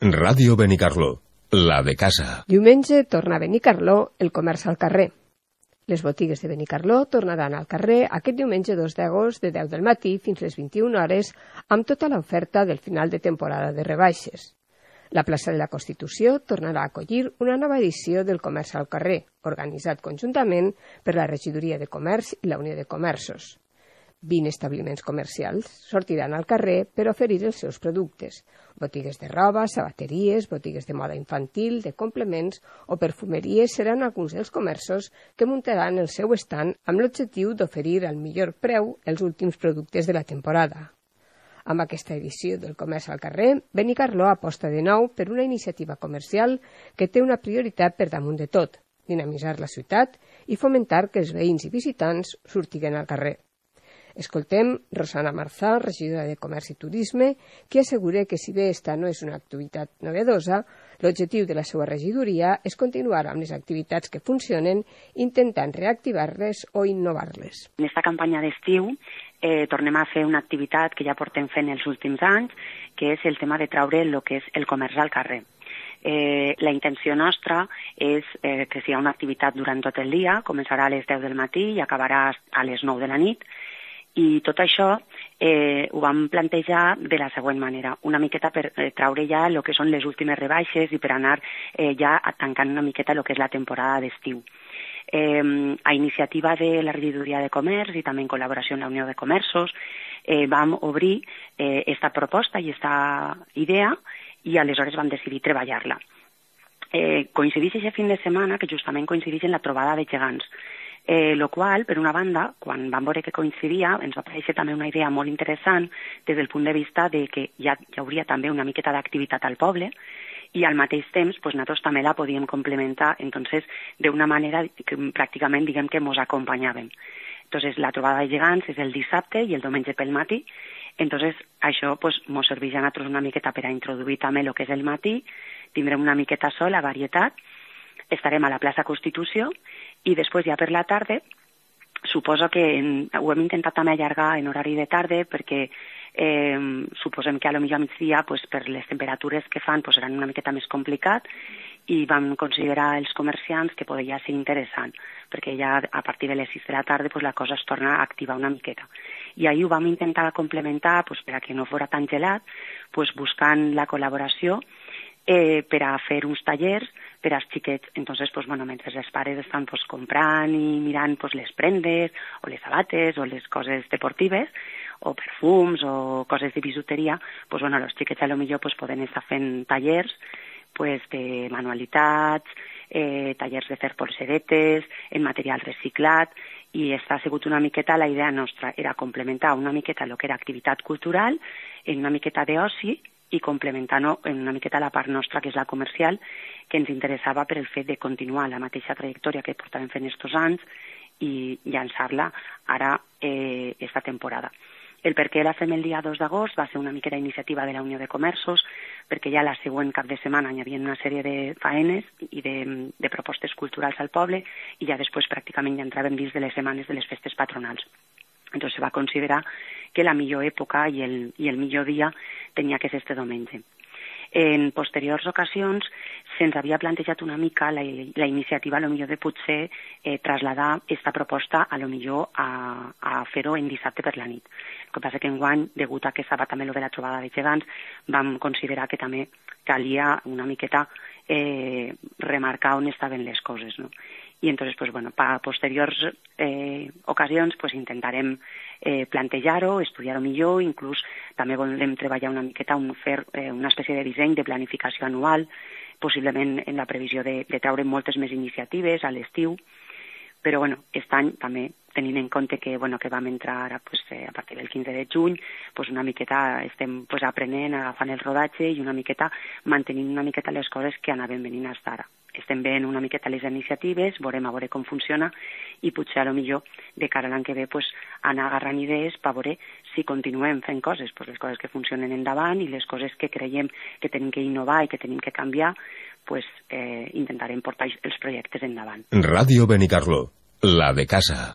Ràdio Benicarló, la de casa. Diumenge torna a Benicarló el comerç al carrer. Les botigues de Benicarló tornaran al carrer aquest diumenge 2 d'agost de 10 del matí fins les 21 hores amb tota l'oferta del final de temporada de rebaixes. La plaça de la Constitució tornarà a acollir una nova edició del comerç al carrer, organitzat conjuntament per la Regidoria de Comerç i la Unió de Comerços. 20 establiments comercials sortiran al carrer per oferir els seus productes. Botigues de roba, sabateries, botigues de moda infantil, de complements o perfumeries seran alguns dels comerços que muntaran el seu estand amb l'objectiu d'oferir al millor preu els últims productes de la temporada. Amb aquesta edició del comerç al carrer, Benicarló aposta de nou per una iniciativa comercial que té una prioritat per damunt de tot, dinamitzar la ciutat i fomentar que els veïns i visitants surtiguen al carrer. Escoltem Rosana Marzà, regidora de Comerç i Turisme, que assegura que si bé esta no és una activitat novedosa, l'objectiu de la seva regidoria és continuar amb les activitats que funcionen, intentant reactivar-les o innovar-les. En aquesta campanya d'estiu tornem a fer una activitat que ja portem fent els últims anys, que és el tema de treure el que és el comerç al carrer. La intenció nostra és que sigui una activitat durant tot el dia, començarà a les 10 del matí i acabarà a les 9 de la nit, i tot això ho vam plantejar de la següent manera, una miqueta per treure ja el que són les últimes rebaixes i per anar ja tancant una miqueta el que és la temporada d'estiu. A iniciativa de la Regidoria de Comerç i també en col·laboració amb la Unió de Comerços vam obrir aquesta proposta i aquesta idea i aleshores vam decidir treballar-la. Coincideix aquest fin de setmana que justament coincideix en la trobada de gegants, lo qual, per una banda, quan vam veure que coincidia, ens va aparèixer també una idea molt interessant des del punt de vista de que hi hauria també una miqueta d'activitat al poble i al mateix temps nosaltres també la podíem complementar, entonces d'una manera que pràcticament diguem que ens acompanyàvem. Entonces la trobada de gegants és el dissabte i el diumenge pel matí, entonces això ens serveix a nosaltres una miqueta per a introduir també el que és el matí, tindrem una miqueta sol, la varietat, estarem a la plaça Constitució i després ja per la tarda suposo que ho hem intentat també allargar en horari de tarda perquè suposem que a lo millor a migdia per les temperatures que fan seran una miqueta més complicat i vam considerar els comerciants que podria ser interessant perquè ja a partir de les 6 de la tarda la cosa es torna a activar una miqueta. I ahir ho vam intentar complementar per a que no fos tan gelat buscant la col·laboració per a fer uns tallers per als xiquets. Entonces, mentre els pares estan comprant i mirant les prendes o les sabates o les coses deportives o perfums o coses de bisuteria, els xiquets potser poden estar fent tallers de manualitats, tallers de fer polseretes, en material reciclat, i aquesta ha sigut una miqueta la idea nostra, era complementar una miqueta el que era activitat cultural en una miqueta d'oci i complementant una miqueta la part nostra, que és la comercial, que ens interessava per el fet de continuar la mateixa trajectòria que portàvem fent estos anys i llançar-la ara esta temporada. El per què la fem el dia 2 d'agost va ser una miqueta iniciativa de la Unió de Comerços, perquè ja la següent cap de setmana hi havia una sèrie de faenes i de propostes culturals al poble i ja després pràcticament ja entràvem dins de les setmanes de les festes patronals. Entonces se va considerar que la millor època i el millor dia tenia que ser este diumenge. En posteriors ocasions se'ns havia plantejat una mica la iniciativa a lo millor de potser traslladar aquesta proposta a lo millor a fer-ho en dissabte per la nit. El que passa que enguany, degut a que estava també lo de la trobada de gegants, vam considerar que també calia una miqueta remarcar on estaven les coses, no? I entonces, a posteriors ocasions intentarem plantejar-ho, estudiar-ho millor, inclús també volem treballar una miqueta, fer una espècie de disseny de planificació anual, possiblement en la previsió de treure moltes més iniciatives a l'estiu, però aquest any també tenint en compte que vam entrar a partir del 15 de juny, una miqueta estem aprenent, agafant el rodatge i una miqueta mantenint una miqueta les coses que anaven venint fins ara. Estem veient una miqueta les iniciatives, veurem a veure com funciona i potser a lo millor de cara a l'any que ve anar agarrant idees per veure si continuem fent coses, les coses que funcionen endavant i les coses que creiem que tenim que innovar i que tenim que canviar, intentarem portar els projectes endavant. Ràdio Benicarló, la de casa.